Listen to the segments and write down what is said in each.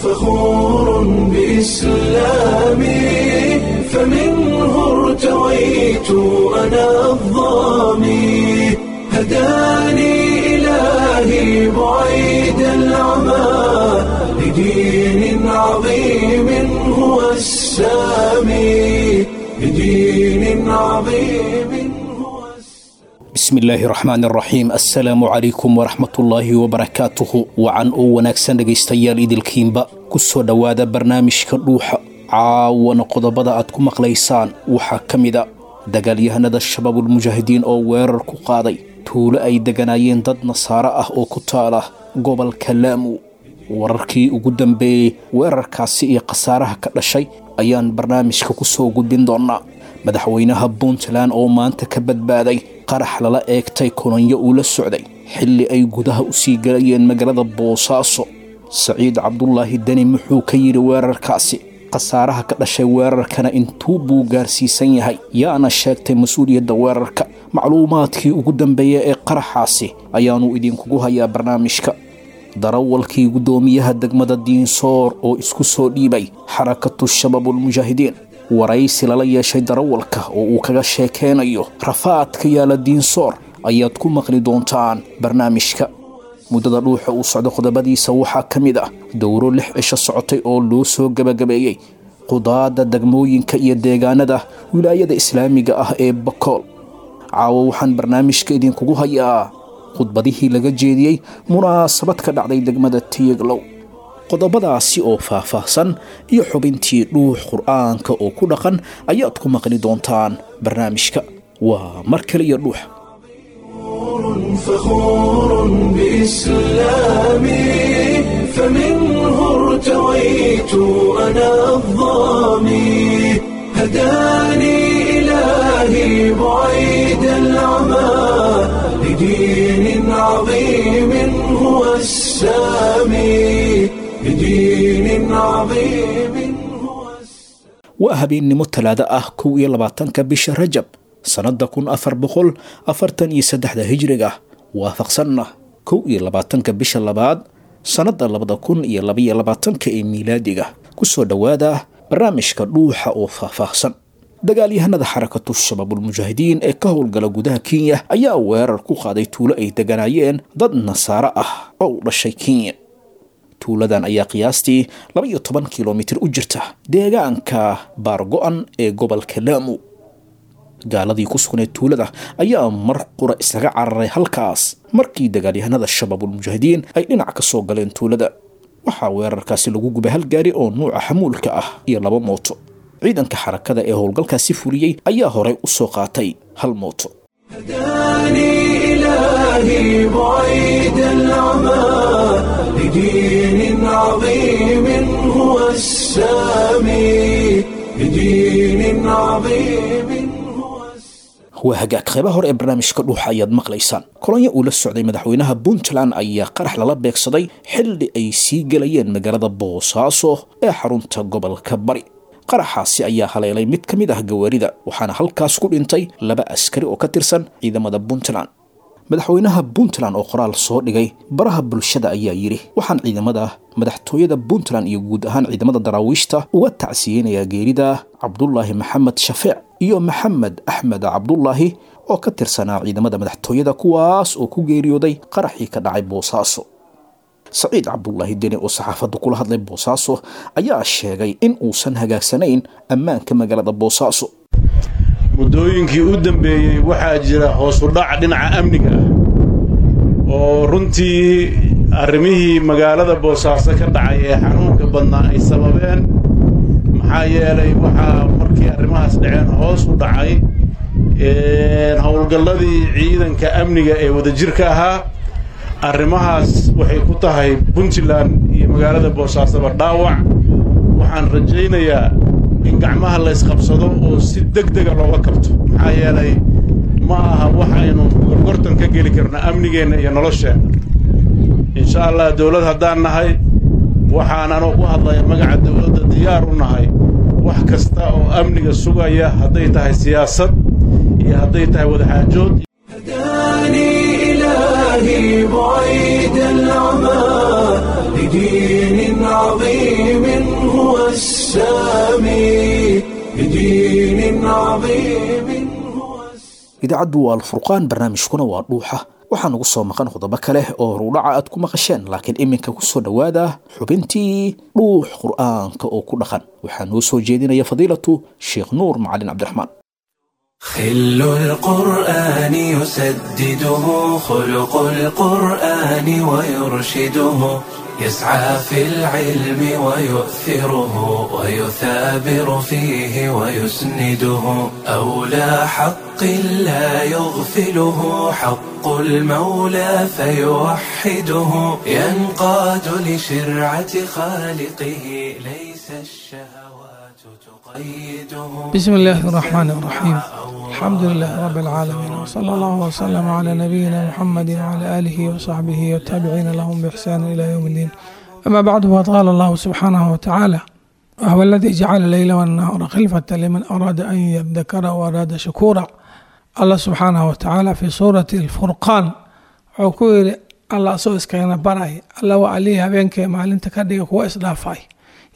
فخور بإسلامي، فمنه ارتويت أنا الظامي، هداني إلهي بعيد العمى لدين عظيم هو السامي، لدين عظيم هو السامي. Bismillaahi raxmaan raxiim, assalaamu calaykum waraxmatullaahi wabarakaatuhu. Wacan oo wanaagsan dhegaystayaal idilkiinba, ku soo dhowaada barnaamijka Dhuuxa. Caawana qodobada aad ku maqlaysaan waxaa ka mid a dagaalyahanada Shabaabulmujaahidiin oo weerar ku qaaday tuulo ay deganaayeen dad nasaaro ah oo ku taala gobolka Laamu. Wararkii ugu dambeeyey weerarkaasi iyo khasaaraha ka dhashay ayaan barnaamijka ku soo gudbin doonaa. Madaxweynaha Puntland oo maanta ka badbaaday qarax lala eegtay kolonyo uu la socday xilli ay gudaha u sii galayeen magaalada Boosaaso. Saciid Cabdulaahi Deni muxuu ka yidhi weerarkaasi? Khasaaraha ka dhashay weerarkana intuu buu gaarsiisan yahay? Yaana sheegtay mas-uuliyadda weerarka? Macluumaadkii ugu dambeeya ee qaraxaasi ayaanu idinkugu hayaa barnaamijka. Darawalkii guddoomiyaha degmada Diinsoor oo isku soo dhiibay Xarakatu Shabaabulmujaahidiin, waraysi lala yeeshay darawalka oo uu kaga sheekeynayo rafaadka yaala Diinsoor ayaad ku maqli doontaan barnaamijka. Muddada Dhuuxa uu socdo qodobadiisa waxaa ka mid ah dowro 6 cisho socotay oo loo soo gebagabeeyey qudaadda degmooyinka iyo deegaanada wilaayada islaamiga ah ee Bakool. Caawo waxaan barnaamijka idinkugu hayaa khudbadihii laga jeediyey munaasabad ka dhacday degmada Tiyaglow. Qodobadaasi oo faahfaahsan iyo xubintii Dhuux Qur'aanka oo ku dhaqan ayaad ku maqli doontaan barnaamijka. Waa mar kale iyo Dhuux. فخور بإسلامي، فمنه ارتويت أنا الظامي، هداني إلهي بعيد العمى لدين عظيم هو السامي، لدين عظيم هو السامي. Waa habeennimo Talaado ah, 21-ka bisha Rajab, sannadda 1443-da hijriga, waafaqsanna 21-ka bisha labaad, sannadda 2022-ka ee miilaadiga. Ku soo dhowaada barnaamijka Dhuuxa oo faahfaahsan. Dagaalyahanada Xarakatu Shabaabulmujaahidiin ee ka howlgala gudaha Kenya ayaa weerar ku qaaday tuulo ay deganaayeen dad nasaaro ah oo u dhashay Kenya. Tuuladan ayaa qiyaastii 12 kilomitir u jirta deegaanka Baargo-an ee gobolka Laamu. Gaaladii ku sugnayd tuulada ayaa mar qura isaga cararay halkaas markii dagaalyahanada Shabaabulmujaahidiin ay dhinac ka soo galeen tuulada. Waxaa weerarkaasi lagu gubay hal gaari oo nuuca xamuulka ah iyo laba mooto. Ciidanka xarakada ee howlgalkaasi fuliyey ayaa horey u soo qaatay hal mooto. هداني إلهي بعيد العمى لدين عظيم هو السامي، لدين عظيم هو السامي. Waa hagaag, qaybaha hore ee barnaamijka Dhuuxa ayaad maqlaysaan. Kolonyo uu la socday madaxweynaha Puntland ayaa qarax lala beegsaday xilli ay sii gelayeen magaalada Boosaaso ee xarunta gobolka Bari. Qaraxaasi ayaa haleelay mid ka mid ah gawaarida, waxaana halkaas ku dhintay laba askari oo ka tirsan ciidamada Puntland. Madaxweynaha Puntland oo qoraal soo dhigay baraha bulshada ayaa yidhi: "Waxaan ciidamada madaxtooyada Puntland iyo guud ahaan ciidamada daraawiishta uga tacsiyeynayaa geerida Cabdulaahi Maxamed Shafeec iyo Maxamed Axmed Cabdulaahi oo ka tirsanaa ciidamada madaxtooyada, kuwaas oo ku geeriyooday qaraxii ka dhacay Boosaaso." Saciid Cabdulaahi Deni oo saxaafadda kula hadlay Boosaaso ayaa sheegay in uusan hagaagsanayn ammaanka magaalada Boosaaso. Muddooyinkii u dambeeyey waxaa jira hoos u dhac dhinaca amniga ah oo runtii arrimihii magaalada Boosaaso ka dhacay ee xanuunka badnaa ay sababeen, maxaa yeelay waxaa markii arrimahaas dhaceen hoos u dhacay howlgalladii ciidanka amniga ee wadajirka ahaa. Arrimahaas waxay ku tahay Puntland iyo magaalada Boosaasoba dhaawac. Waxaan rajaynayaa in gacmaha la ysqabsado oo si deg dega looga kabto, maxaa yeelay ma aha waxaynu gorgortan ka geli karno amnigeenna iyo nolosheenna. Insha Allah, dawlad haddaan nahay, waxaan anoo ku hadlaya magaca dawladda diyaar u nahay wax kasta oo amniga sugaya, hadday tahay siyaasad iyo hadday tahay wadaxaajood. هداني إلهي بعيد العمى. لدين عظيم هو السامي لدين عظيم هو السامي. Idaacaddu waa Alfurqaan, barnaamijkuna waa Dhuuxa. Waxaa nugu soo maqan qodobo kale oo horudhaca aad ku maqasheen, laakiin iminka ku soo dhowaada xubintii Dhuux Qur'aanka oo ku dhaqan. Waxaa noo soo jeedinaya fadiilatu Sheekh Nuur Macalin Cabdiraxmaan. خل القرآن يسدده خلق القرآن ويرشده، يسعى في العلم ويؤثره ويثابر فيه ويسنده، أولى حق لا يغفله حق المولى فيوحده، ينقاد لشرعة خالقه ليس الشهوات تقيده. بسم الله الرحمن الرحيم، الحمد لله رب العالمين، وصلى الله وسلم على نبينا محمد وعلى آله وصحبه والتابعين لهم بإحسان إلى يوم الدين. أما بعد، فقد قال الله سبحانه وتعالى: وهو الذي جعل الليل والنهار خلفة لمن أراد أن يذكر وأراد شكورا. الله سبحانه وتعالى في سورة الفرقان wuxuu ku yiri, Alla asoo iskagana baray, Alla waa allihii habeenkii maalinta ka dhiga kuwa isdhaafay,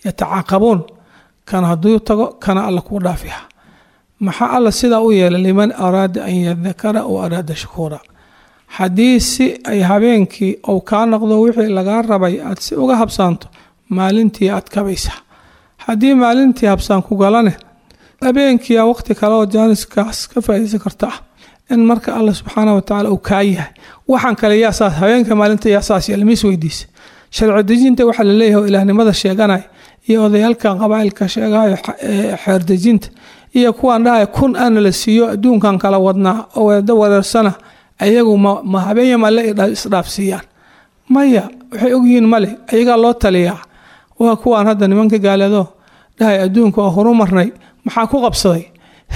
yatacaaqabuun, kan hadduu tago kana Alla kuu dhaafiya. Maxaa Alla sidaa u yeelay? Liman araada an yadakara wa araada shakuura. Haddii si ay habeenkii uu kaa noqdo wixii lagaa rabay aad si uga habsaanto, maalintii aad kabaysaa. Haddii maalintii habsaan ku galane, habeenkiia waqti kale oo jaaniskaas ka faa'iidaysan karta ah. In marka Alla subxaana watacaala uu kaa yahay waxaan kale, yaa saas habeenka maalinta yaa saas yeelay? Mis weydiisa sharci dejinta waxaa laleeyahay oo ilaahnimada sheeganaya iyo odayaalkan qabaa'ilka sheegayo xeerdejinta iyo kuwaan dhahaya kun aana la siiyo adduunkan kala wadnaa oo weeda wareersana, ayagu ma habeenya malle isdhaafsiiyaan? Maya, waxay ogyihiin male, ayagaa loo taliyaa. Waa kuwaan hadda nimanka gaaleedo dhahay adduunka waa horumarnay. Maxaa ku qabsaday?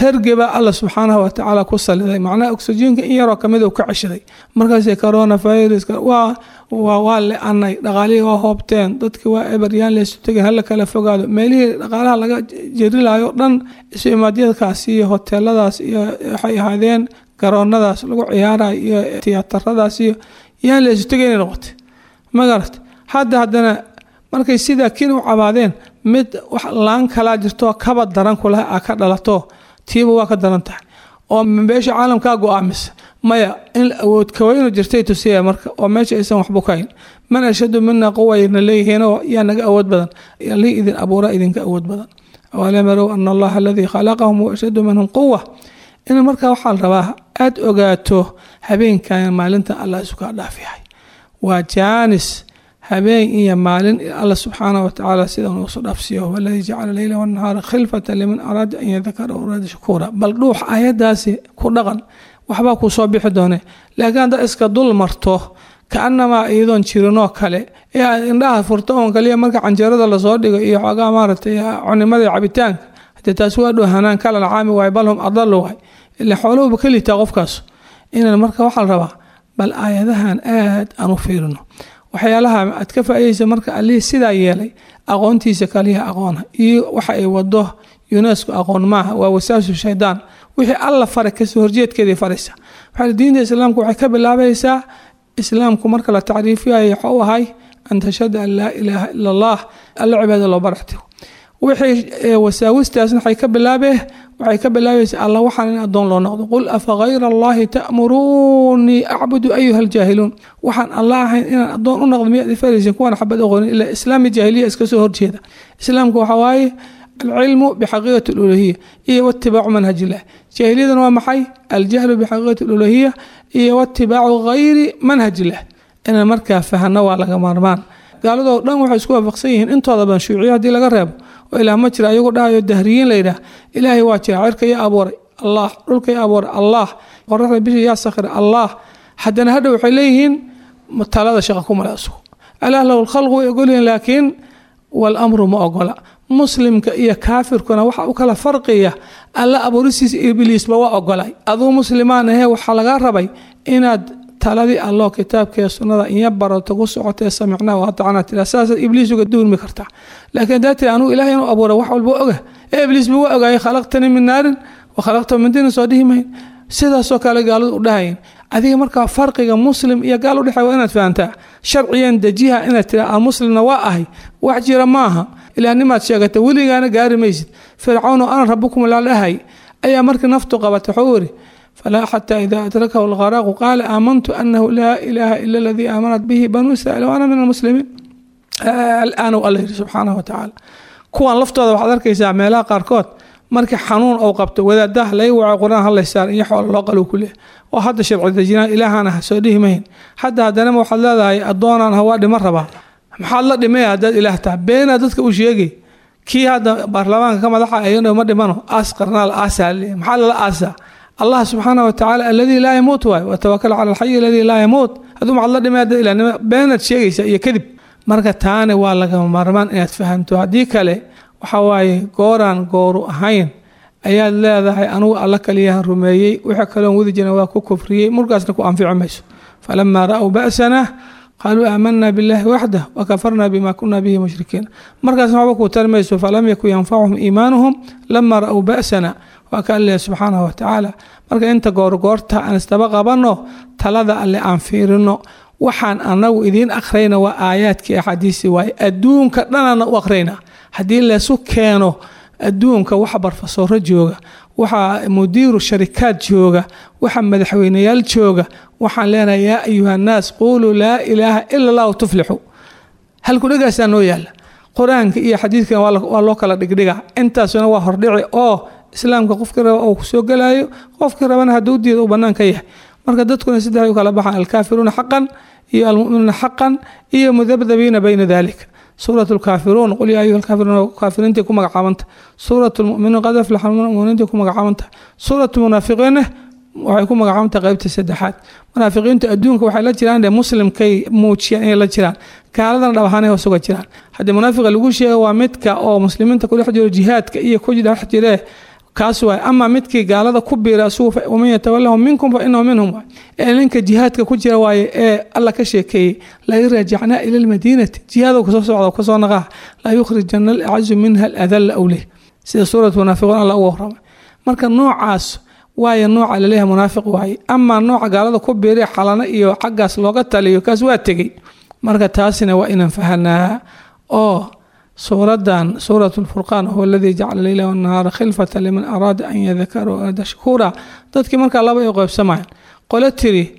Hergebaa Alla subxaanahu watacaala ku saliday, macnaha oksijiinka in yaroo kamid uu ka ceshaday. Markaasay coronaviruska waa le-anay, dhaqaalihii waa hoobteen, dadki waa eberyaan, laysu tegin, hala kala fogaado. Meelihii dhaqaalaha laga jerilayo dhan, isu imaadyadkaas iyo hoteeladaas iyo waxay ahaadeen garoonadaas lagu ciyaarayo iyo tiyaataradaas iyo yaan laysu tegay inay noqotay, ma garat? Hadda haddana markay sidaa kin u cabaadeen, mid wax laan kalaa jirto kaba daran kulaha a ka dhalato, tiiba waa ka daran tahay oo beesha caalamkaa go-aamisa. Maya, in awood kaweynu jirtay tusiya marka oo meesha aysan waxbu kahayn. Man ashadu mina quwayna leeyihiin oo yaa naga awood badan? Allihii idin abuura idinka awood badan. Awalam yarow ana Allaha aladii khalaqahum huwa ashadu minhum quwa. In marka waxaa la rabaa aada ogaato habeenkan maalintan Allah isu kaa dhaaf yahay, waa jaanis habeen iyo maalin Alla subxaanahu watacaala sida uu soo dhaafsiiyo. Huwa aladii jacala leyla wannahaara khilfata liman araada an yadakara wa araada shakuura. Bal dhuux aayadaasi ku dhaqan, waxbaa kuu soo bixi doone. Laakiin haddaad iska dul marto kaanamaa iyadoon jirinoo kale ee aad indhaha furto oon kaliya marka canjeerada lasoo dhigo iyo xoogaa maaragtay cunimada iyo cabitaanka, hadee taasi waa dhoohanaan kala caami waay, bal hum adalu waay, ila xooluhuba ka liitaa qofkaas. Inan marka waxaa la rabaa bal aayadahan aad aan u fiirino waxyaalaha aad ka faa'iidaysa. Marka allihii sidaa yeelay aqoontiisa kaliya aqoona iyo waxa ay wado UNESCO aqoon maaha, waa wasaasu shaydaan. Wixii Alla faray kasoo horjeedkeedii faraysa. Waxaa diinta islaamku waxay ka bilaabaysaa, islaamku marka la tacriifiyayo waxa u ahay an tashhada an laa ilaaha ila Allah, Alla cibaada loo baraxtigo. Wixii wasaawistaasna waxay ka bilaabaysaa Alla waxaan in addoon loo noqdo. Qul afa hayra Allahi ta'muruunii acbudu ayuha aljaahiluun. Waxaan Alla ahayn inaan addoon u noqdo miyaad ifaraysin kuwaan xabad aqoonin? Ilaa islaami jaahiliya iska soo horjeeda. Islaamku waxa waaye alcilmu bixaqiiqati aluluhiya iyo watibaacu manhaj illah. Jaahiliyadana waa maxay? Aljahlu bixaqiiqati aluluhiya iyo watibaacu gayri manhaj illah. Inaan markaa fahano waa laga maarmaan. Gaaladoo dhan waxay isku waafaqsan yihiin intooda badan, shuuciya haddii laga reebo oo ilaah ma jira ayagu dhahayo, dahriyiin la yidhaah, Ilaahay waa jira, cirka yaa abuuray? Allah. Dhulka yaa abuuray? Allah. Qoraxda bisha yaa sakhiray? Allah. Haddana hadhow waxay leeyihiin talada shaqa ku male asugu, alaah lahu lkhalqu way ogolyihiin, laakiin walamru ma ogola. Muslimka iyo kaafirkuna waxa u kala farqiya Alla abuuristiisa ibliisba waa ogolay. Aduu muslimaan ahee, waxaa lagaa rabay inaad taladii Allo kitaabkee sunnada inya barato ku socotee, samicnaa wa atacnaa tira, saasaad ibliis uga duurmi kartaa. Laakiin haddaa tiri anugu Ilahay inuu abuuray wax walba oga, ee ibliisba waa ogaayay, khalaqtanii min naarin wa khalaqtahu min diinin, soo dhihi mayn. Sidaasoo kale gaaladu u dhahayn Adiga markaa farqiga muslim iyo gaal udhexeey waa inaad fahantaa. Sharciyan dejiha inaad tiraa aan muslimna waa ahay, wax jira maaha. Ilaahnimaad sheegata weligaana gaari maysid. Fircawn oo ana rabukum lalahay ayaa markii naftu qabatay wuxuu yiri falaa xataa idaa adrakahu algharaaqu qaala aamantu anahu laa ilaaha ila aladii aamanat bihi banuu israiil wa ana min almuslimiin. Alaan uu alla yiri subxaanahu watacaala. Kuwan laftooda waxaad arkaysaa meelaha qaarkood markii xanuun uu qabto wadaadaha laga waco qur-aan hadlaysaar iyo xoolo loo qalo ku leeyahay oo hadda sharci dejinaan ilaahana ha soo dhihi mahayn. Hadda haddanama waxaad leedahay addoonaan ha waa dhima rabaa. Maxaad la dhimaya haddaad ilaah tahay? Beenaa dadka u sheegay. Kii hadda baarlamaanka ka madaxa ayadoo ma dhimano aas qarnaa la aasaa leeyahay. Maxaa lala aasaa? Allah subxaanahu watacaala alladii laa yamuut waay, watawakal cala alxayi alladii laa yamuut. Hadduu maxaad la dhimaya haddaad ilaahnimo beenaad sheegaysa iyo kadib. Marka taani waa lagama maarmaan inaad fahanto. Haddii kale waxa waaye gooraan gooru ahayn ayaad leedahay anugu alla kaliyahan rumeeyey, wixii kaloon wadi jirna waa ku kufriyey, murkaasna ku anfici mayso. Falamaa ra'w ba'sana qaaluu aamanaa billahi waxdah wakafarna bima kuna bihi mushrikiin. Markaasna waxba kuu tari mayso. Falam yakun yanfacuhum iimaanuhum lama ra'w ba'sana, waa ka alle subxaanahu watacaala. Marka inta goorgoorta aan isdaba qabanno, talada alle aan fiirino. Waxaan anagu idiin akhrayna waa aayaadkii axaadiisii waaye, adduunka dhanana u akhrayna. Haddii laysu keeno adduunka waxa barfasooro jooga, waxa mudiiru sharikaad jooga, waxa madaxweyneyaal jooga, waxaan leenahay yaa ayuha nnaas quuluu laa ilaaha ila allahu tuflixu. Halkudhegaasaa noo yaala. Qur-aanka iyo xadiidkan waa loo kala dhigdhiga. Intaasuna waa hordhici oo islaamka qofkii raba uu kusoo gelayo, qofkii rabana hadduu diido uu bannaan ka yahay. Marka dadkuna saddex u kala baxaan: alkaafiruuna xaqan iyo almu'minuuna xaqan iyo mudabdabiina bayna dalika. Suurat lkaafiruun qul yaa ayuha alkaafiruun kaafiriintii ku magacaabanta, suurat lmu'miniin qad aflaxa almu'miniintii ku magacaabanta, suurat lmunaafiqiinna waxay ku magacaabanta qaybta saddexaad. Munaafiqiintu adduunka waxay la jiraan dee muslimkay muujiyaan inay la jiraan, gaaladana dhab ahaanay hoos uga jiraan. Haddii munaafiqa lagu sheego waa midka oo muslimiinta ku dhex jiro jihaadka iyo ku dhex jiree, kaas waay. Ama midkii gaalada ku biira asugu, waman yatawallahum minkum fa inahu minhum waay. Ee ninka jihaadka ku jira waaye ee alla ka sheekeeyey la raajacnaa ila almadiinati, jihaadoo kasoo socda kasoo naqaa, la yukhrijana alacazu minha aladalla awleh, sida suurat munaafiquun alla uga warramay. Marka noocaas waaye nooca laleeyahay munaafiq waaye. Ama nooca gaalada ku biiray xalana iyo xaggaas looga taliyo, kaas waa tegey. Marka taasina waa inaan fahanaa oo suuradan suurat lfurqaan huwa aladii jacala leyla wanahaara khilfata liman araada an yadakara araada shukuura. Dadkii markaa laba ay qaybsamayaan: qole tiri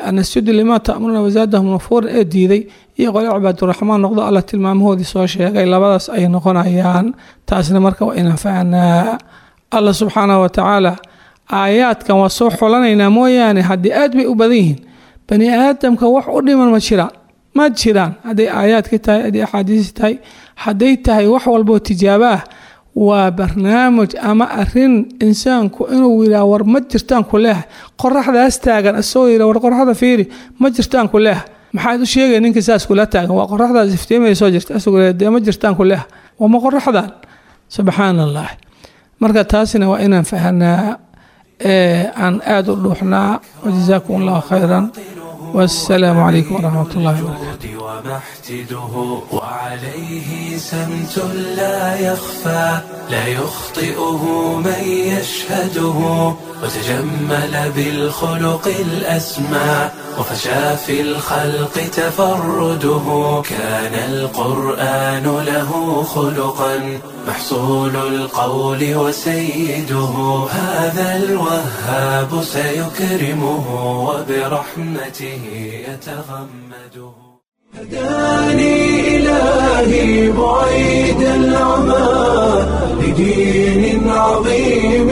anasjudu limaa ta'muruna wazaadahum nufuuran ee diiday, iyo qole cibaaduraxmaan noqdo alla tilmaamahoodii soo sheegay. Labadaas ay noqonayaan. Taasna marka waa inaan fahanaa. Alla subxaanahu watacaala aayaadkan waa soo xulanaynaa mooyaane haddii aad bay u badan yihiin. Bani aadamka wax u dhiman ma jiraan, ma jiraan. Hadday aayaadka tahay, hadday axaadiis tahay, hadday tahay wax walboo tijaabo ah, waa barnaamij ama arin insaanku inuu yidhaah war ma jirtaan ku leeha. Qoraxdaas taagan isagoo yidhah war qoraxda fiiri, ma jirtaan ku leeha. Maxaad u sheegay ninka saas kula taagan? Waa qoraxdaas iftiimaya soo jirta, isagoo leeyahay dee ma jirtaan ku leeha, waa ma qoraxdan. Subxaana allah. Marka taasina waa inaan fahanaa ee aan aada u dhuuxnaa. Wajazaakum allahu khayran, والسلام عليكم ورحمة الله وبركاته. ومحتده وعليه سمت لا يخفى لا يخطئه من يشهده وتجمل بالخلق الأسمى وفشى في الخلق تفرده كان القرآن له خلقا محصول القول وسيده هذا الوهاب سيكرمه وبرحمته يتغمده. هداني إلهي بعيد العمى لدين عظيم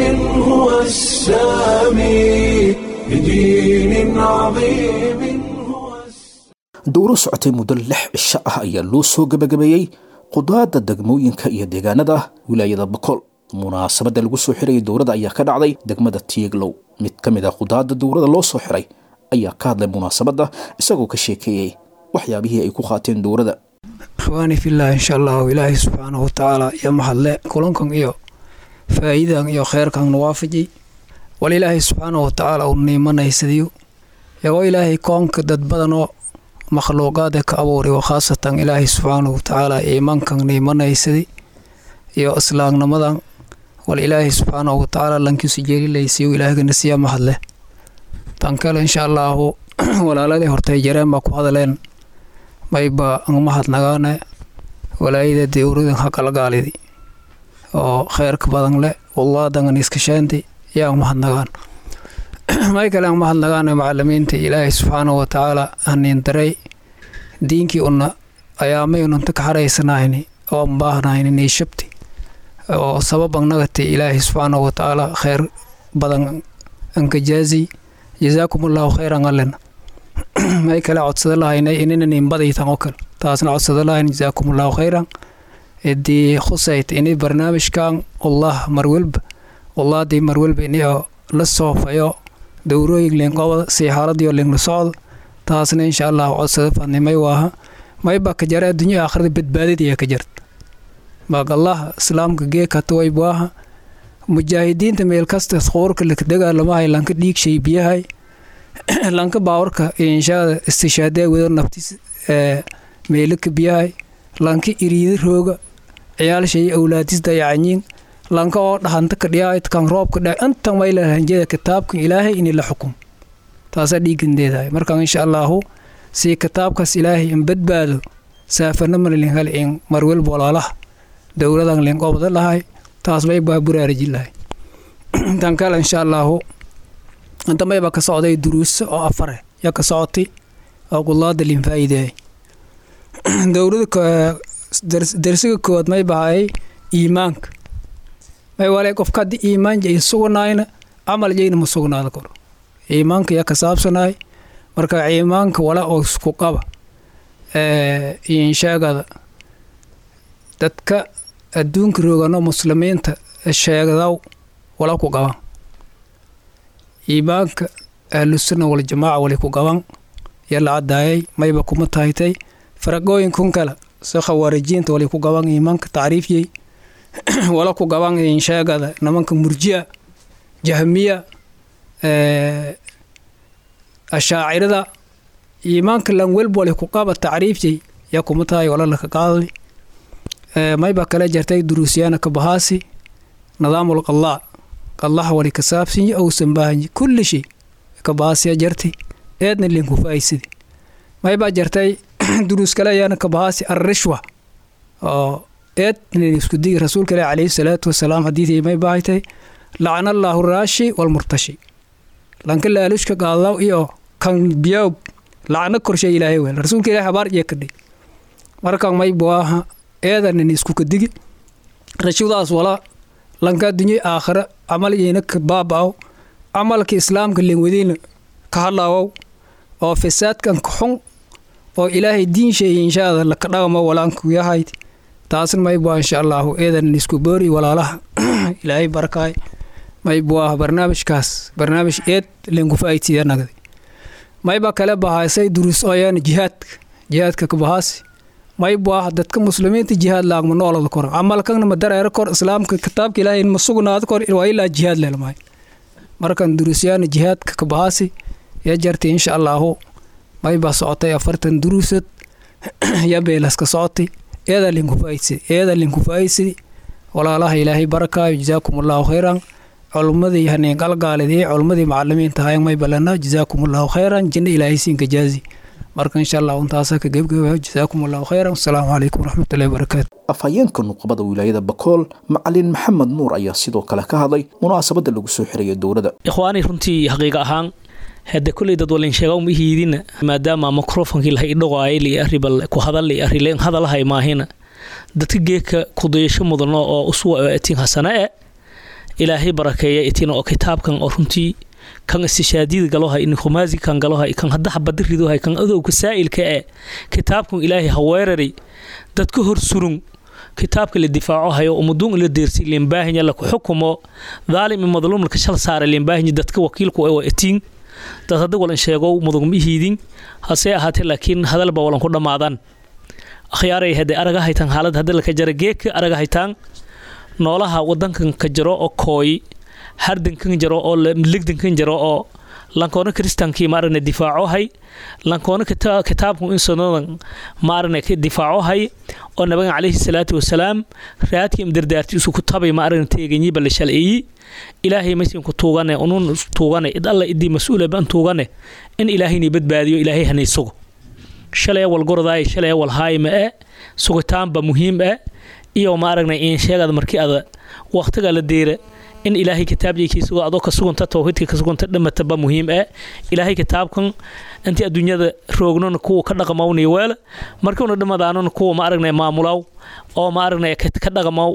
هو السامي لدين عظيم هو السامي. Dowro socotay muddo 6 cisho ah ayaa loo soo gebagabeeyey qudaadda degmooyinka iyo deegaanada wilaayada Boqol. Munaasabadda lagu soo xirayay dowrada ayaa ka dhacday degmada Tieglow. Mid ka mid ah qudaadda dowrada loo soo xiray ayaa ka hadlay munaasabadda, isagoo ka sheekeeyey waxyaabihii ay ku qaateen dowrada. Ikhwaani fillah, insha allahu ilaahay subxaanahu watacaala iyo mahadle kulankan iyo faa'iidan iyo kheyrkan nuwaafajay. Wal ilaahay subxaanahu watacaala uu niimanaysadiyo yagoo ilaahay koonka dad badanoo makhluuqaada ka abuuray, oo khaasatan ilaahay subxaanahu watacaala iimaankan niimanaysadi iyo islaamnimadan. Wal ilaahay subxaanahu watacaala lankiisu jeelilaysiyo ilaahgana siya mahadle. Tan kale insha Allahu walaaladii hortay jareen baa ku hadleen mayba angmahadnagaane walaayada dowladan hakalgaalidi oo kheyrka badan leh wallaadangan iskashaanti yaa angmahadnagaan. May kale angmahadnagaane macalimiinta Ilaahay subxaanahu watacaala haniin daray diinkii una ayaamay unanta ka xaraysanayni oo baahnayni niishabti oo sabab angnagati Ilaahay subxaanahu watacaala kheyr badan ankajaazi jazaakum allahu khayran alena. May kale codsada lahaynay inina inbadaytan oo kale taasna codsada lahayn jazaakum allahu khayran idii khusayt ini barnaamijkan Allah marwalba wallaadii marwalba ini oo la soofayo dowrooyin linqobada si xaaladiyo linla socdo taasna insha Allah codsada fadnimay waaha mayba ka jara adduunya aakhirada badbaadadiya ka jarta maag Allah islaamka geekata way waaha mujaahidiinta meel kasta qoorka la dagaalamahay lanka dhiig shay biyahay lanka baawarka inshaada istishaadee wada naftis meelaka biyahay lanka iriida rooga ciyaal shay awlaadis dayacanyiin lanka oo dhahanta ka dhiyaay kan roobka dhaa intan way la hanjeeda kitaabkan Ilaahay in la xukum taasa dhiigandeedahay. Marka insha Allahu si kitaabkaas Ilaahay in badbaado saafana malin hal in marwal walaalaha dowladan leen qobada lahay taas bay baa buraariji lahay. Tan kale insha Allahu inta mayba ka socday duruus oo afar ya ka socotay oo qulaada lin faa'iideey dowladda darsiga koowaad may bahay iimaanka may walay qofka haddii iimaan jay sugnayna camal jayna ma sugnaada karo iimaanka yaa ka saabsanaay. Marka iimaanka wala oo isku qaba inshaagada dadka adduunka roogano muslimiinta sheegadaw wala ku qaban iimaanka ahlusunna waljamaaca wali ku qaban yaa la cadaayay mayba kuma tahaytay faraqooyinkun kale si khawaarijiinta wali ku qaban iimaanka tacriifyey wala ku qaban inshaagada nimanka murji'a jahmiya ashaacirada iimaanka lan welba wali ku qaba tacriifyey yaa kuma tahay wala laka qaadali. Mayba kale jartay duruusyaana ka bahaasi nidaamul qalaa qallaha wali ka saabsanyi owsan baahanyi kulli shay ka bahaasiya jartay eedna linku faa'iisidi. Mayba jartay duruus kale ayaana ka bahaasi arrishwa oo eedna isku digi rasuulka ilaahi calayhi salaatu wasalaam xadiidii may baahaytay lacana allaahu raashi walmurtashi lanka laalushka qaadaw iyo kan biyow lacna korshay Ilaahay weel rasuulka ilaahi habaar iyo kadhi. Marka may baaha eedanin isku kadigi rashudaas wala lanka adduunyo aakhira camal iyana ka baaba'o camalka islaamka leen ka hadlaawo oo fasaadkan ka xun oo Ilaahay diin shay insha Allah la ka dhaqmo walaanku yahay taasna may baa insha Allah eedanin isku boori walaalaha Ilaahay barakaay may baa barnaamijkaas barnaamij eed leen ku faa'iideeyay nagadi. May baa kale bahaysay duruus ooyaan jihaadka ka bahaasi may baa dadka muslimiinta jihaad laagma noolada kor camalkan ma dareero kor islaamka kitaabka Ilaahay ma sugnaado kor waa ilaa jihaad leelmay. Markan duruusyaan jihaadka ka bahaasi ya jartay insha Allahu may baa socotay 40 duruusad ya beelas ka socotay eeda linku faa'iidsay walaalaha Ilaahay barakaayo jazaakumullahu khayran culmadii haneen qalgaalidii culmadii macallimiinta hayeen may balana jazaakumullahu khayran jinna Ilaahay siinka jaazi. Marka insha Allah intaas ka gabagabeeyo jazaakumullahu khayran assalaamu calaykum waraxmatullaahi wabarakaatu. Afhayeenka nuqbada wilaayada Bakool macallin Maxamed Nuur ayaa sidoo kale ka hadlay munaasabada lagu soo xirayo dowladda. Ikhwaani runtii xaqiiq ahaan hadda kulli dad walin sheego ma hiidina maadaama mikrofonkii la idhoqaayay li arribal ku hadal li arrileen hadalahay maahina dadka geeka ku dayasho mudano oo uswa itiin hasana ee Ilaahay barakeeya itiin oo kitaabkan oo runtii kan istishaadida galoha in khumaazi kan galoha kan hadda xabad rido hay kan adowga saa'ilka ee kitaabkan Ilaahay ha weeraray dadka hor surun kitaabka la difaaco hayo ummadun la deersi leen baahan la ku xukumo dhaalim madluum ka shal saar leen baahan dadka wakiilku ee itiin dad hadda walan sheego mudug ma hiidin hase ahaatee laakiin hadalba walan ku dhamaadaan akhyaaray hadda araga haytan xaalad hadda la ka jara geeka araga haytan noolaha wadankan ka jaro oo kooy hardankan jaro oo ligdankan jaro oo Lankoona kristankii ma aragna difaacohay, lankoona kitaabku in sunadan ma aragna ka difaacohay oo nabigan calayhi salaatu wasalaam raadkii imdardaarti isu ku tabay ma aragna teeganyi bal shalciyi. Ilaahay maysin ku tuugane, unun tuugane, id alla idii mas-uula ban tuugane in ilaahayni badbaadiyo, ilaahay hanay sugo. Shalay wal gordaay, shalay wal haay ma e sugitaanba muhiim eh iyo ma aragnay in sheegada markii ada waqtiga la deera in ilaahay kitaabkiisa adoo ka suganta tawxiidka ka suganta dhamataba muhiim eh. Ilaahay kitaabkan intii adduunyada roognona kuwa ka dhaqmawni weel markuuna dhamadaanona kuwa ma aragnay maamulaw oo ma aragnay ka dhaqmaw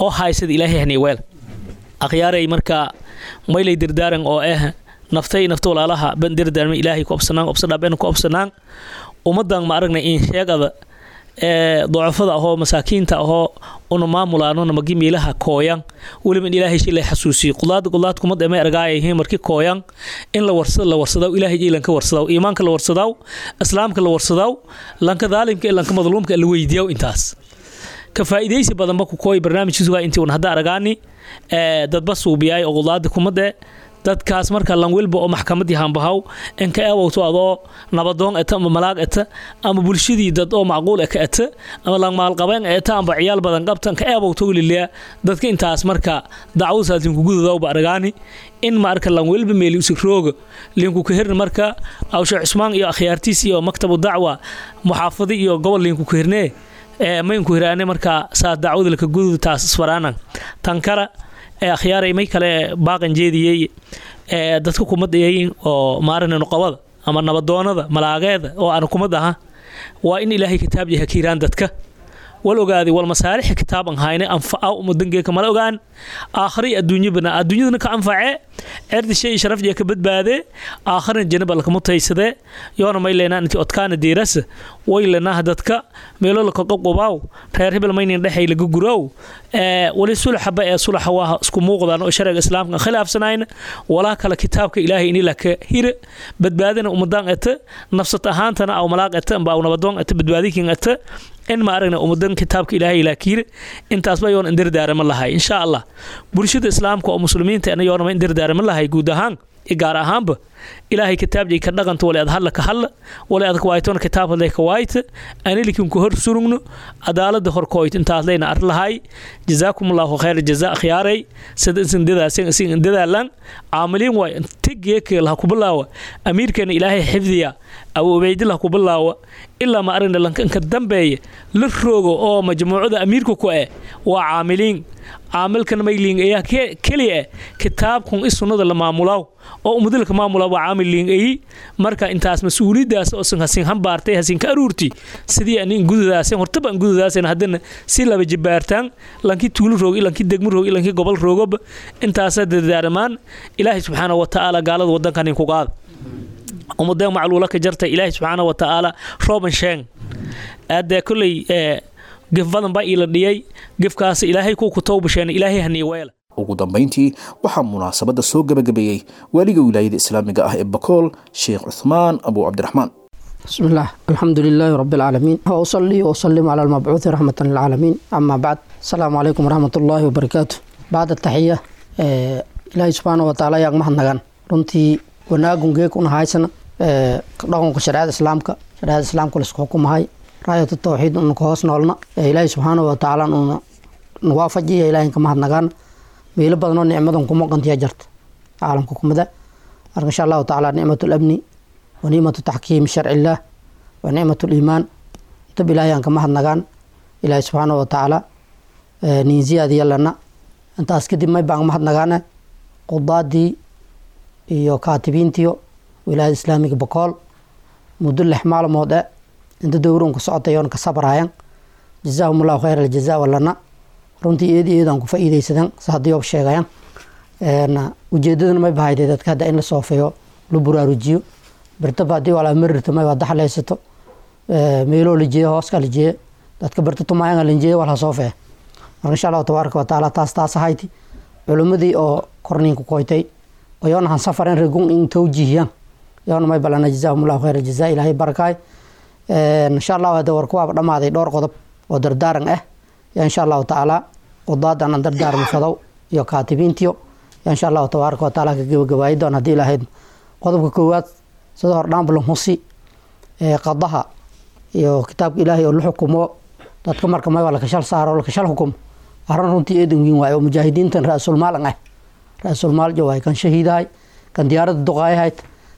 oo haysada ilaahay hani weel. Akhyaaray, marka maylay dirdaaran oo ah naftay nafta walaalaha ban dirdaarmay ilaahay ku obsanaan, obsadhaabeen ku obsanaan ummadan ma aragnay in sheegada ee docafada ahoo masaakiinta ahoo una maamulaanona magi miilaha kooyan weliba in ilaahay shilay xasuusiyo. Qudaad qudaad kuma dhamay argaayihiin markii kooyan in la warsado, la warsadaw ilaahay iilanka warsadaw, iimaanka la warsadaw, islaamka la warsadaw, lanka daalimka iyo lanka madluumka la weydiiyaw. Intaas ka faa'iidaysi badan ba ku kooy barnaamijkiisu waa intii un hadda aragaani ee dadba suubiyay oo qudaada kuma dhe dadkaas. Marka lan walba oo maxkamadii hambahaw in ka eewowto adoo nabadoon eta ama malaag eta ama bulshadii dad oo macquul ka eta ama lan maalqabeen eta amba ciyaal badan qabtan ka eewowto weliyaa dadka intaas. Marka dacwadaas linku gududawba aragaani in marka lan walba meeli usig rooga linku ka hirna. Marka awshe Cusmaan iyo akhyaartiis iyo maktabu dacwa muxaafadi iyo gobol linku ka hirnee ee maynku hiraane. Marka saa dacwada laka gudud taas isfaraanan tan kale ee akhyaaray may kale baaqan jeediyey ee dadka kumadayay oo maarana nuqabada ama nabadoonada malaageeda oo aan kumad aha waa in ilaahay kitaab yahay kiiraan dadka wal ogaaday wal masaalix kitaaban hayne anfaca ummadangeeka mala ogaan aakhari adduunyabana adduunyadana ka anface cerdi shay sharaf iyo ka badbaade, aakharina janaba lakama taysadee. Yoona may leenaa intii odkaana diiras way leenaa dadka meelo la qoqobaaw reer hebel maynin dhexay laga gurow ee wali sulxaba ee sulaxa waa isku muuqdaan oo sharciga islaamka khilaafsanayn walaa kala kitaabka ilaahay in la ka hire badbaadina ummadan eta nafsad ahaantana aw malaaq eta amba aw nabadoon eta badbaadikin eta in ma aragna ummadan kitaabka ilaahay la kiire. Intaas ba yoon indirdaarama lahay insha Allah bulshada islaamka oo muslimiinta ana yoon ma indirdaarama lahay guud ahaan i gaar ahaanba ilaahay kitaabjay ka dhaqanta wali ad hadla ka hadla wali ad kawaaytoona kitaab hadlay ka waayta anilikin ku hor surugno cadaalada horkooyt. Intaas leyna ar lahay. Jazaakum allahu khayr jazaa akhyaaray sida insin dadaasin isin dadaalan caamiliin waay tigeeka laha ku bilaawa amiirkeena ilaahay xifdiya abu ubaydillah ku bilaawa ilaa ma aragna lanka inka dambeeya la roogo oo majmuucada amiirka ku eh waa caamiliin. Caamilkan mayliin ayaa keliya eh kitaabkun i sunnada la maamulaw oo ummadalka maamula waa caamil liin ayi. Marka intaas mas-uuliyadaas oo sin hasin hambaartay hasin ka aruurti sidii aan in gududaasin hortaba in gududaasin haddana si laba jibaartaan lankii tuulo roog, lankii degmo roog, lankii gobol roogoba intaasa dardaarmaan. Ilaahay subxaana wa tacaala gaalada wadankan in ku qaada ummadeen macluula ka jarta, ilaahay subxaana wa tacaala rooban sheeng aadee kolley gef badan baa iila dhiyay gefkaas ilaahay ku tawbasheen ilaahay hanii weela. Ugu dambayntii waxaa munaasabadda soo gebagabeeyey waaliga wilaayada islaamiga ah ee Bakool, Sheekh Cuthmaan Abu Cabdiraxmaan. بسم الله، الحمد لله رب العالمين، وأصلي وأسلم على المبعوث رحمة للعالمين، أما بعد، السلام عليكم ورحمة الله وبركاته. بعد التحية، إلهي سبحانه وتعالى يا mahadnagan runtii wanaagun geek una haysana dhaqanka shareecada islaamka, shareecada islaamka la isku xukumahay, raayatu tawxiid una ka hoos noolna, ilaahay subxaanahu wa tacaala una nuwaafajiya, ilaahay ka mahadnagaan. Meelo badan oo nicmadan kuma qantiya jarta caalamka kumada. Marka insha allahu tacaala nicmatu lamni wa nicmatu taxkiim sharci illaah wa nicmatu liimaan intab ilaahay aan ka mahadnagaan, ilaahay subxaanahu wa tacaala niin ziyaadiyalana. Intaas kadib may baan mahadnagaane qudaadii iyo kaatibiintiyo wilaayada islaamiga Bakool muddo 6 maalmood e inta dowrun ku socotay oon ka sabrayan, jazaahum allahu khayr aljazaa walana. Runtii eed eedaan ku faa'iidaysadan sa haddii oob sheegayan ujeedadana may bahayday dadka hadda in la soofeeyo, la buraarujiyo birtaba haddii walaa marirto may waa daxlaysato meeloo la jeeyo hooska la jeeyo dadka birta tumaayanga la jeeyo wala soofee. Marka insha allahu tabaaraka wa tacaala taas ahayti culimmadii oo korniinku koytay oo yoona han safarin regun in tawjiihiyaan yoona may balana jazaahum allahu khayr aljazaa, ilaahay barakaay insha allahu. Hadda warku waaba dhammaaday. Dhowr qodob oo dardaaran ah yaa insha allahu tacaala qudaadan aan dardaarmi fadow iyo kaatibiintiyo yaa insha allahu tabaaraka wa tacaala ka gebagabaayi doon haddii ilaahayd. Qodobka koowaad, sida hordhaanba lan husi, qadaha iyo kitaabka Ilaahay oo la xukumo dadka, marka may waa lakashal saaro, lakashal xukumo, arrin runtii eedan weyn waaye oo mujaahidiintan ra-iisulmaal an ah, ra-iisulmaal jo waay. Kan shahiidahay, kan diyaaradda duqaayahayd,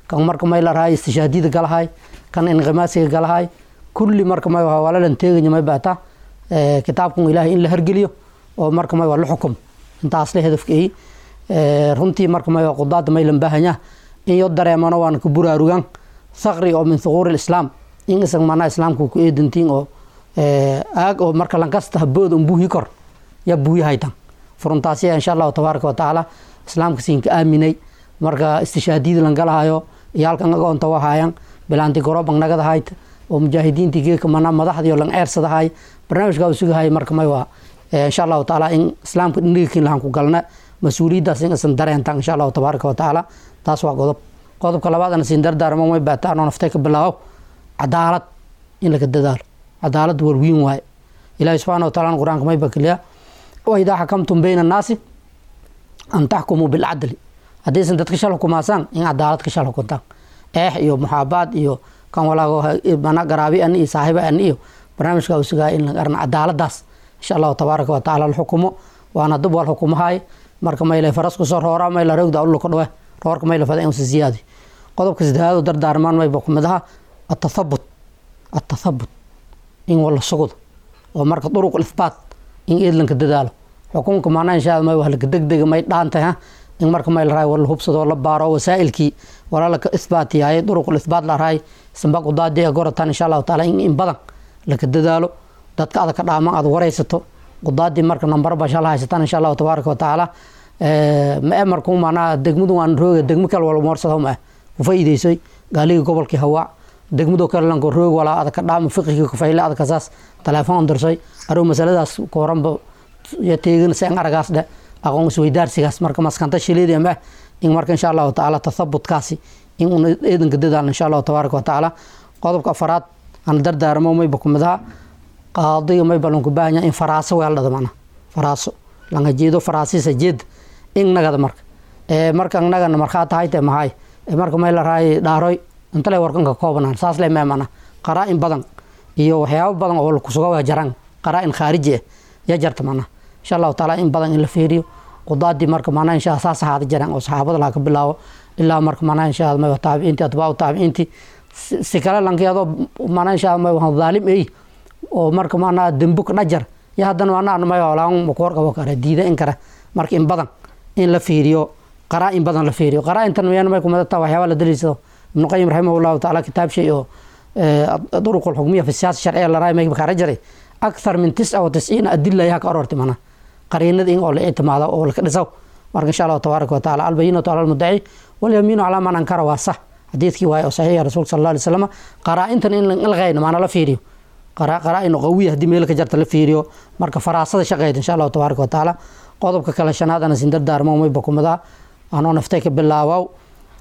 kan marka may la rahay istishaadiyada galahay, kan inqimaasiga galahay, kulli marka may waa walalan teeganya may baata kitaabkan Ilaahay in la hergeliyo oo marka may waa la xukumo. Intaas le hadafka ay runtii marka may waa qudaada may lan baahanya in yo dareemano, waan ku buraarugan thaqri oo min thuquuri lislaam in isag manaa islaamka ku eedantiin oo aag oo marka lankasta habooda un buuhi kor ya buuyi haytan furuntaasiya, insha Allahu tabaaraka wa tacaala islaamka siinka aaminay. Marka istishaadiyada langalahayo iyo halkan agoonta wahaayan bilaanti gorobang nagadahayd oo mujaahidiintii geeka manaa madaxdii oo lang eersadahay barnaamijkaa uu sugahay. Marka may waa insha Allahu tacaala in islaamka dhinigikin lahan ku galna mas-uuliyaddaas in isan dareentan, insha Allahu tabaaraka wa tacaala. Taas waa qodob. Qodobka labaad ana siin dardaarmo may baataan oo naftay ka bilaabo, cadaalad in laga dadaalo. Cadaalad war weyn waaye. Ilaahi subxaana wa taala Qur-aanka may bakiliya: "Wa idaa xakamtum bayna annaasi an taxkumuu bilcadli." Haddaysan dadka shal xukumaasaan, in cadaalad ka shal xukuntaan, eex iyo muxaabaad iyo kan walaago mana garaabi an iyo saaxiiba an iyo barnaamijka uu sugaa in la arna cadaaladaas, insha Allahu tabaaraka wa tacaala la xukumo. Waana dub wal xukumahay. Marka mayle faras ku soo roora, mayla roogda ullo ka dhawe roorka mayla fada in si ziyaadi. Qodobka saddexaad oo dardaarmaan may boqmadaha atathabut, atathabut in wala sugdo oo marka duruq ithbaat in eedlanka dadaalo xukunka maanaa, insha Allah may wax la degdeg may dhaantay ha in marka may la raay wala hubsado, la baaro wasaa'ilkii wala la ithbaatiyay, duruq ithbaat la raay sanba qudaadii goratan, insha Allahu taala in badan la ka dadaalo. Dadka aad ka dhaaman aad wareysato qudaadii, marka nambar ba insha Allah haysataan, insha Allahu tabaaraka wa tacaala. Ma markuu maanaa degmadu waan rooga, degmo kale wala moorsado ma ku faa'iideysay gaaliga gobolkii hawaa degmado kale lanko roog walaa aad ka dhaamo fiqiga ku fayle aad kasaas telefoon dirsay aruu masaladaas ku horanba ya teegin si an aragaas dhe aqoon isweydaarsigaas. Marka maskanta shileedi ma in marka insha Allahu tacaala tathabutkaasi in un eedanka dadaal, insha Allahu tabaaraka wa tacaala. Qodobka afaraad aan dardaarmo mayba kumadaha qaadiga may balanku baahan in faraaso weeldhada, macnaha faraaso langa jeedo, faraasisa jeed in nagada marka marka nagana markhaa tahay te maxay marka may la raay dhaaroy inta lay warkanka koobanaan saas lay meemana qaraa-in badan iyo waxyaabo badan oo kusuga waa jaraan, qaraa-in khaariji ah ya jarta macnaha, insha Allahu tacaala in badan in la fiiriyo qudaadii. Marka macnaha insha saas ahaada jaraan oo saxaabada laha ka bilaabo ilaa marka macnaha insha Allah may taabiciinti, atbaacu taabiciinti, si kale lankiyadoo macnaha insha Allah may dhaalim ey oo marka macnaha dembu ka dhajar ya haddana macnaha may olaan makoor qabo kara diida in kara. Marka in badan in la fiiriyo, qaraa-in badan la fiiriyo. Qaraa-intan miyaan may kumada waxyaaba la daliishado. Ibnu Qayim raximahullahu tacaala kitaab shay oo duruq alxukmiya fi siyaasa sharciya la raay may kara jaray akthar min 99 adilla yaa ka aroortay, macnaha qariinada in oo la ictimaado oo la ka dhisaw. Marka insha Allahu tabaaraka wa tacaala "Albayinatu cala almuddaci walyamiinu calaa man ankara" waa sax xadiidkii waaye oo saxiixa rasuulka sal Alla alay wasalam. Qaraa-intan in la qayno macnaa la fiiriyo qaraa-in qawiya haddii meel ka jarta la fiiriyo, marka faraasada shaqeyd, insha Allahu tabaaraka wa tacaala. Qodobka kale shanaad ana sin dardaarmo may bakumada anoo naftay ka bilaabow,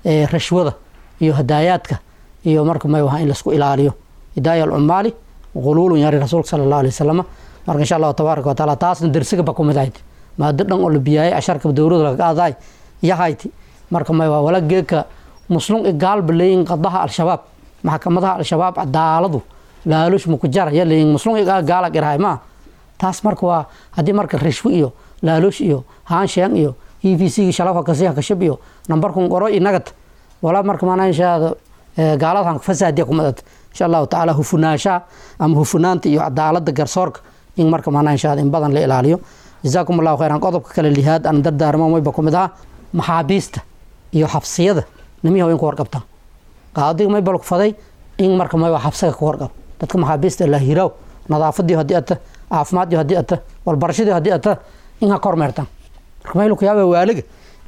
rashwada iyo hadaayaadka iyo marka may waha in laisku ilaaliyo. "Hidaaya alcumaali quluulun" yari rasuulka sala Allahu alay wasalam. Marka insha Allahu tabaaraka wa tacaala taasna dersiga bakumid ahayd, maado dhan oo la biyaayay casharka dowladda laga qaadaay yahayti. Marka may waa wala geeka muslum gaalba leeyin qadaha Al-Shabaab, maxkamadaha Al-Shabaab cadaaladu laalush muku jar ya leeyin muslum gaala garahay ma taas. Marka waa haddii marka rishwo iyo laalush iyo haansheeng iyo EVC shalaf kasi kashib iyo nambarkun qoro inagad wala marka maanaa insha gaaladan fasaadiya kumadad, insha Allahu tacaala hufunaasha ama hufunaanta iyo cadaalada garsoorka in marka maanaa insha in badan la ilaaliyo. Jazaakum Allahu khayran. Qodobka kale lihaad aan dardaarmo mayba kumid aha maxaabiista iyo xabsiyada nimiyaha in ku warqabtaan. Qaadiga may balku faday in marka may waa xabsiga ku warqab dadka maxaabiista la hiraw, nadaafadii haddii ata, caafimaadii haddii ata, walbarashadii haddii ata, in ha kormeertaan. Marka maylu ku yaaba waaliga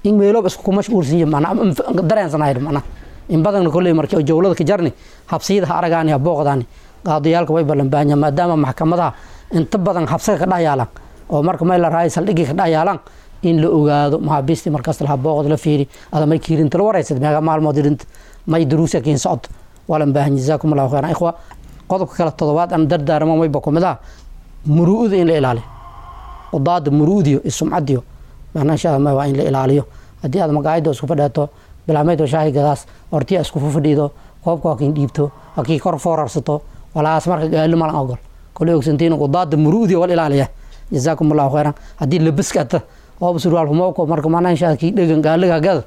in meeloob isku mashquulsan yihiin macnaa dareensanahay macnaa in badan kolley markii jawlada ka jarni xabsiyada ha aragaani ha booqdaani. Qaadiyaalka way ballan baahan maadaama maxkamadaha inta badan xabsiga ka dhex yaalaan oo marka may la raay saldhigii ka dhex yaalaan in la ogaado maxaabiistii markaas laha booqd la fiiri ada may kiirinta la wareysad meeqa maalmood irinta may duruusa kiin socod walan baahan. Jazaakum Allahu khayran, ikhwa. Qodobka kale toddobaad aan dardaarmo mayba kumid ah muru'uda in la ilaaliyo, qudaada muru'udiyo iyo sumcadiyo macnaa insha Allah waa in la ilaaliyo. Haddii aad maqaayada isku fadheeto Bilaamayd oo shaahi gadaas hortiya isku fadhiido, koobka waa kiin dhiibto, waa kii kor foorarsato walaas. Marka gaali malan ogol koley ogsantiin qudaada muruudi wal ilaaliya. Jazaakum Allahu khayran. Haddii labiska ata ooba surwaal humowko, marka macnaha inshaa kii dhegan gaaliga hagalad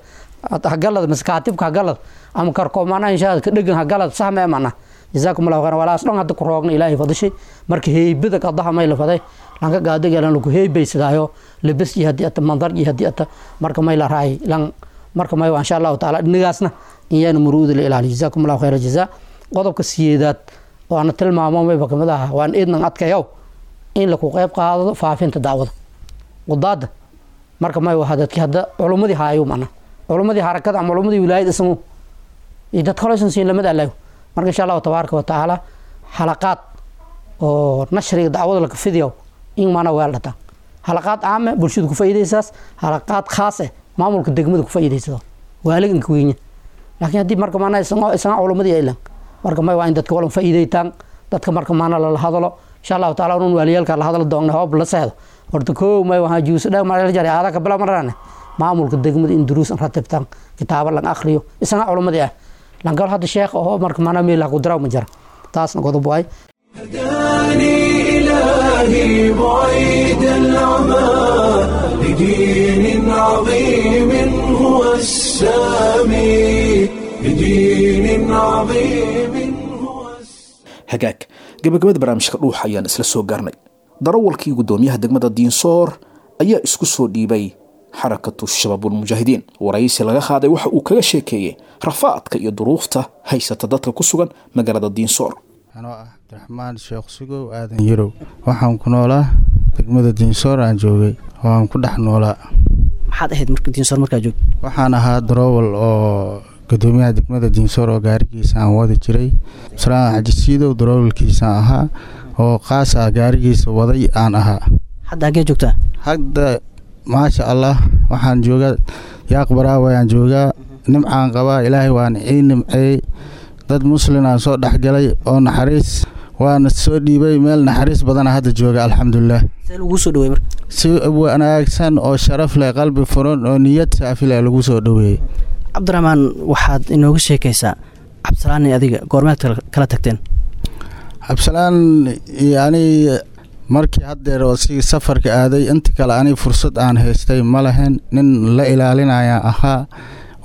hagalad mise kaatibka hagalad ama karko, macnaha inshaa ka dhegan hagalad sax mee macnaha. Jazaakum Allahu khayran. Walaas dhan hadda ku roogna Ilaahay fadishay. Marka heybada qadaha may la faday lanka gaadiga lan lagu heybaysadaayo labis iyo haddii ata mandar iyo haddii ata marka may la raay lan. Marka may waa insha Allahu tacaala dhinigaasna in yaana muruuda la ilaaliyo. Jazaakum Allahu khayra jazaa. Qodobka siyeedaad waana tilmaamo mayba kamid aha waan idnan adkayow in laku qayb qaado faafinta dacwada qudaada. Marka may waa dadkii hadda culummadii haayo, macna culummadii harakada ama culummadii wilaayada isagu iyo dad kaleysan siin lamid alayo. Marka insha Allahu tabaaraka wa tacaala xalaqaad oo nashriga dacwada laka fidiyo in maana weel dhataan, xalaqaad caame bulshada ku faa'iidaysaas, xalaqaad khaas eh maamulka degmada ku faa'iidaysado, waaliga inka weynya. Laakiin haddii marka maana isaga culummadii aylan, marka may waa in dadka walan faa'iidaytaan dadka, marka maana lala hadalo insha Allahu taala unun waaliyaalka la hadalo doonna hoob la seexdo. Horta koow may waxaa juuso dheer mar la jaray aada ka bila marane maamulka degmada in duruus an ratibtaan, kitaabo lan akhriyo isaga culummadii ah langal hadda sheekh oo marka maana meel ku diraw ma jira. Taasna qodob waay. هداني إلهي بعيد العمى لدين عظيم هو السامي، لدين عظيم هو Hagaag, gabagabada barnaamijka Dhuuxa ayaan isla soo gaarnay. Darawalkii guddoomiyaha degmada Diinsoor ayaa isku soo dhiibay Xarakatu Shabaabulmujaahidiin. Waraysi laga qaaday waxa uu kaga sheekeeyey rafaadka iyo duruufta haysata dadka ku sugan magaalada Diinsoor. Anoo ah Cabdiraxmaan Sheekh Sugow Aadan Yarow, waxaan ku noolaa degmada Diinsoor aan joogay oo aan ku dhex noolaa. Maxaad ahayd marka Diinsoor markaa joogto? Waxaan ahaa daroowal oo gudoomiyaha degmada Diinsoor oo gaarigiisa aan wadi jiray, Salaan Xaji Siidow daroowalkiisaan ahaa oo qaas ah, gaarigiisa waday aan ahaa. Hadda hagee joogtaa? Hadda maasha Allah waxaan joogaa Yaaq Baraawe aan joogaa. Nimcaan qabaa, Ilaahay waan ii nimceeyey. Dad muslin aan soo dhexgalay oo naxariis waana soo dhiibay, meel naxariis badana hadda jooga, alxamdulilah. See laguu soo dhaweey marka? Si wanaagsan oo sharaf leh, qalbi furan oo niyad saafi leh lagu soo dhaweeyey. Cabdiraxmaan, waxaad inooga sheekaysaa Cabdisalaan iyo adiga goormeed kala tagteen? Cabdisalaan iyo ani markii haddeer oo si safarka aaday, inta kale ani fursad aan haystay ma lahayn. Nin la ilaalinaya ahaa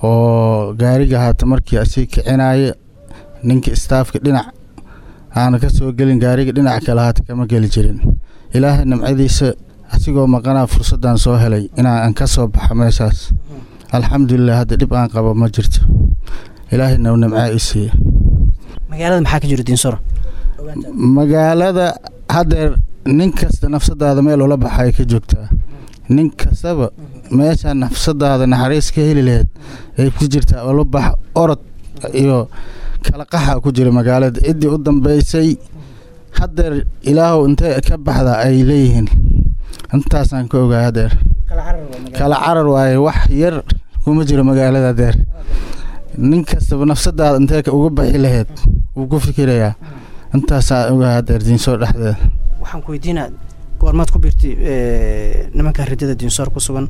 oo gaariga haata markii asii kicinaaye ninka istaafka dhinac aan ka soo gelin, gaariga dhinac kale haata kama geli jirin. Ilaahay nimcadiisa asigoo maqanaa fursaddan soo helay inaan ka soo baxo meeshaas, alxamdulilah. Hadda dhib aan qabo ma jirto, Ilaahayna uu nimcaa i siiye. Magaalada maxaa ka jira Diinsoor? Magaalada haddeer nin kasta nafsadaada meel ula baxay ka joogtaa. Nin kastaba meesha nafsadaada naxariis ka heli lahayd ay ku jirtaa ula bax. Orod iyo kala qaxa ku jira magaalada. Ciddii u dambeysay haddeer Ilaahow intee ka baxda ay leeyihiin, intaasaan ka ogaa. Haddeer kala carar waaye, wax yar kuma jiro magaalada. Haddeer nin kastaba nafsadaada intee uga baxi lahayd wuu ku fikirayaa. Intaasaa ogaa haddeer Diinsoor dhexdeeda. Waxaan ku weydiinaa, goormaad ku biirtay nimanka ridada Diinsoor ku sugan?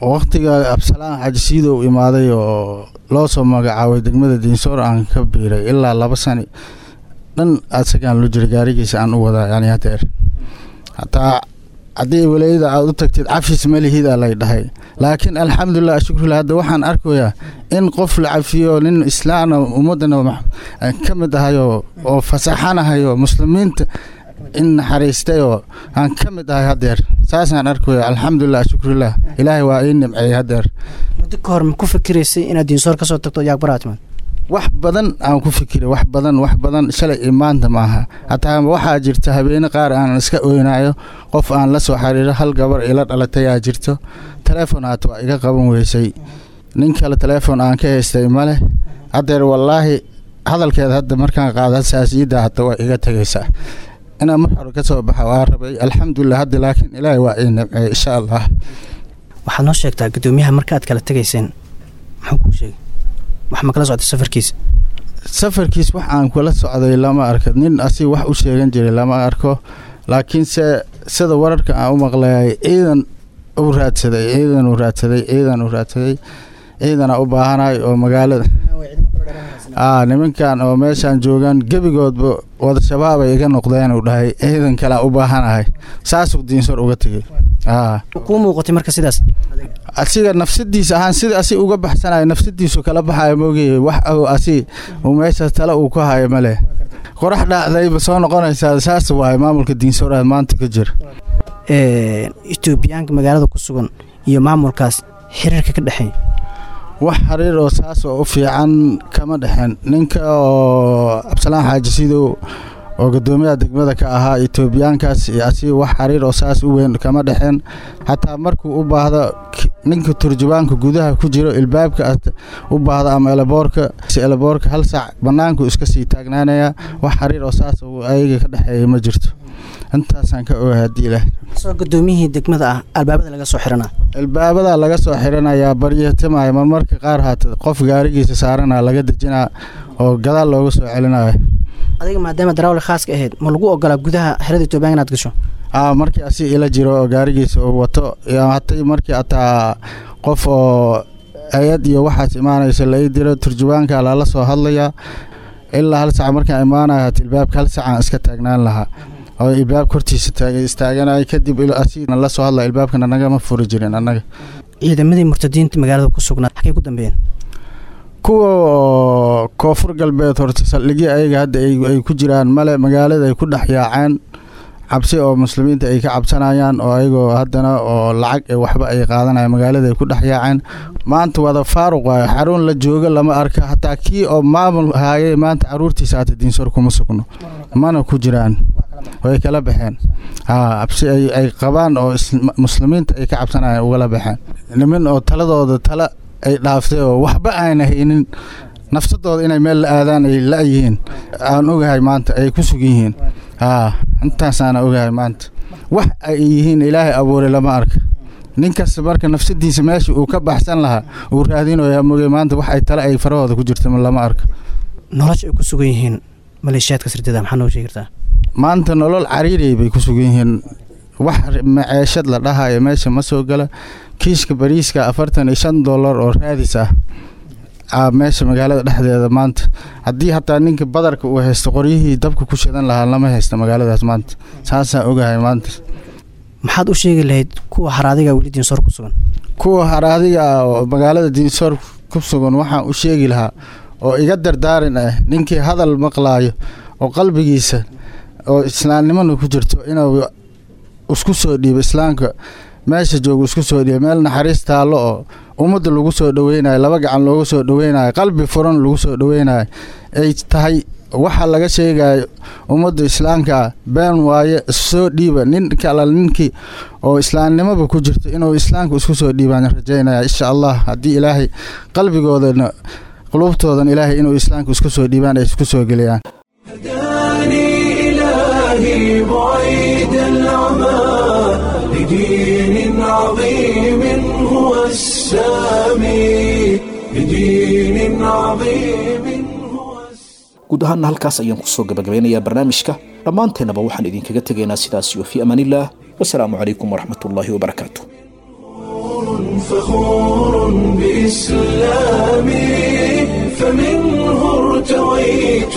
Waqtiga Absalaan Xaji Siidow imaaday oo loo soo magacaabay degmada Diinsoor aan ka biiray. Ilaa 2 sani dhan asagaan lu jiray, gaarigiisa aan u wadaa. Yani hadeer hataa haddii walaayada aad u tagtid cafis ma lihid aa lay dhahay, laakiin alxamdulilah, ashukrulah, hadda waxaan arkayaa in qof la cafiyo, nin islaana ummadana ka mid ahayo oo fasaxanahayo, muslimiinta in naxariistayoo aan ka mid ahay. Hadeer saasaan arkaya, alxamdulilah, ashukrulah, Ilaahay waa ii nimceeyey hadeer. Muddo ka hor ma ku fikiraysay inaad Diinsoor ka soo tagto Yaaqbaraa timaad? Wax badan aan ku fikiray, wax badan, wax badan, shalay iyo maanta maaha. Hataa waxaa jirta habeene qaar aan iska oynayo. Qof aan la soo xiriiro, hal gabar ila dhalatay aa jirto, teleefon haata waa iga qaban weysay, nin kale teleefon aan ka haystay ma leh. Haddeer wallaahi hadalkeeda hadda markaan qaado saasiidda hata waa iga tegaysaa. Inaan mar hore ka soo baxa waa rabay, alxamdulilah, hadda laakiin Ilaahay waa ii nimceeyey insha Allah. Waxaad noo sheegtaa guddoomiyaha marka aad kala tegayseen muxuu kuu sheegay? Wax ma kala socday safarkiisa? Safarkiis wax aan kula socday lama arko. Nin asig wax u sheegan jiray lama arko, laakiinse sida wararka aan u maqlayay ciidan u raadsaday, ciidan u raadsaday, ciidan u raadsaday. Ciidana u baahanahay oo magaalada nimankan oo meeshaan joogaan gebigoodba wada shabaabay iga noqdeen uu dhahay, ciidan kalea u baahanahay, saasuu Diinsoor uga tegey. Kuu muuqatay marka sidaas? Asiga nafsadiisa ahaan sida asi uga baxsanayo nafsadiisu kala baxayo moogay, wax asi uu meesha tale uu ku hayo male. Qorax dhacdayba soo noqonaysaa, saas waaye maamulka Diinsoor aad maanta ka jira. Etoobiyaanka magaalada ku sugan iyo maamulkaas xiriirka ka dhexeeya? Wax xiriir oo saas oo u fiican kama dhexeen. Ninka oo Cabdisalaan Xaaji Sidow oo guddoomiyaha degmada ka ahaa, Etoobiyaankaas iyo asi wax xiriir oo saas u weyn kama dhexeen. Xataa markuu u baahdo ninka turjubaanka gudaha ku jiro ilbaabka u baahdo ama elaboorka 1 saac bannaanku iska sii taagnaanaya. Wax xiriir oo saas ayaga ka dhexeeya ma jirto, intaasaan ka ogahay. Haddii Ilaah Soo gudoomiyihii degmada ah albaabada laga soo xiranaa? Albaabada laga soo xiranayaa, baryatamaya marmarka qaar haata qof gaarigiisa saarana laga dejinaa oo gadaal looga soo celinayo. Adiga maadaama darawal khaaska ahayd, ma lagu ogolaa gudaha xerada Etoobiyaanka inaad gasho? Markii asi ila jiro oo gaarigiisa uu wato, hatay markii ataa qof oo hay-ad iyo waxaas imaanaysa la ii diro, turjubaanka lala soo hadlayaa. Ilaa 1 sac markaan imaanayo hata ilbaabka 1 sacaan iska taagnaan lahaa oo ilbaabka hortiisa istaaganay, kadib asigna la soo hadlaya, ilbaabkana nagama furi jirin annaga. Ciidamadii murtadiinta magaalada ku sugnaa xagay ku dambeeyeen? Kuwa Koonfur Galbeed horta saldhigyo ayaga hadda ay ku jiraan male, magaalada ay ku dhex yaaceen cabsi oo muslimiinta ay ka cabsanayaan oo ayagoo haddana oo lacag waxba ay qaadanayaan magaalada ay ku dhex yaaceen. Maanta wada faaruq waayo, xarun la joogo lama arka. Hataa kii oo maamul haayay maanta caruurtiisa hata Diinsoor kuma sugno, mana ku jiraan, way kala baxeen. Cabsi ay qabaan oo muslimiinta ay ka cabsanayaan ugala baxeen. Niman oo taladooda tala ay dhaaftay oo waxba aana haynin, nafsadooda inay meel la aadaan ay la-yihiin aan ogahay maanta ay ku sugan yihiin. Intaasaana ogahay maanta wax ay yihiin Ilaahay abuuray lama arka. Ninkasta marka nafsadiisa meesha uu ka baxsan lahaa uu raadinayaa mogay, maanta wax ay tale ay farahooda ku jirta lama arka. Nolosha ay ku sugan yihiin maleeshiyaadka sirdada maxaa noo sheegi kartaa? Maanta nolol cariirey bay ku sugan yihiin, wax maceeshad la dhahayo meesha ma soo gala. Kiishka bariiska $45 oo raadis ah meesha magaalada dhexdeeda maanta. Haddii hataa ninka badarka uu haysto, qoryihii dabka ku shidan lahaa lama haysto magaaladaas maanta, saasaan ogahay maanta. Maxaad u sheegi lahayd kuwa haraadiga weli Diinsoor ku sugan? Kuwa haraadiga oo magaalada Diinsoor ku sugan waxaan u sheegi lahaa oo iga dardaarin ah, ninkii hadal maqlaayo oo qalbigiisa oo islaamnimana ku jirto inuu isku soo dhiibo islaamka meesha joogo, isku soo dhiibo meel naxariis taallo oo ummadda lagu soo dhaweynayo, laba gacan loogu soo dhaweynayo, qalbi furan lagu soo dhaweynayo ay tahay. Waxa laga sheegayo ummadda islaamka been waaye, soo dhiiba. Ninka alla ninkii oo islaamnimaba ku jirto inuu islaamka isku soo dhiibaan rajaynaya insha Allah. Haddii Ilaahay qalbigoodana qulubtoodan Ilaahay inuu islaamka isku soo dhiibaan ay isku soo geliyaan. إلهي بعيد العمى لدين عظيم هو السامي، لدين عظيم. Guud ahaanna halkaas ayaan kusoo gabagabeynayaa barnaamijka. Dhammaanteennaba waxaan idinkaga tegaynaa sidaas iyo fii amaanillaah, wasalaamu calaykum waraxmatullaahi wabarakaatu. فخور بإسلامي، فمنه ارتويت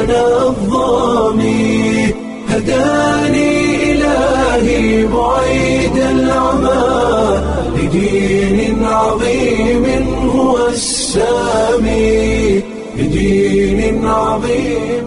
أنا الظامي، هداني إلهي بعيد العمى لدين عظيم هو السامي، لدين عظيم.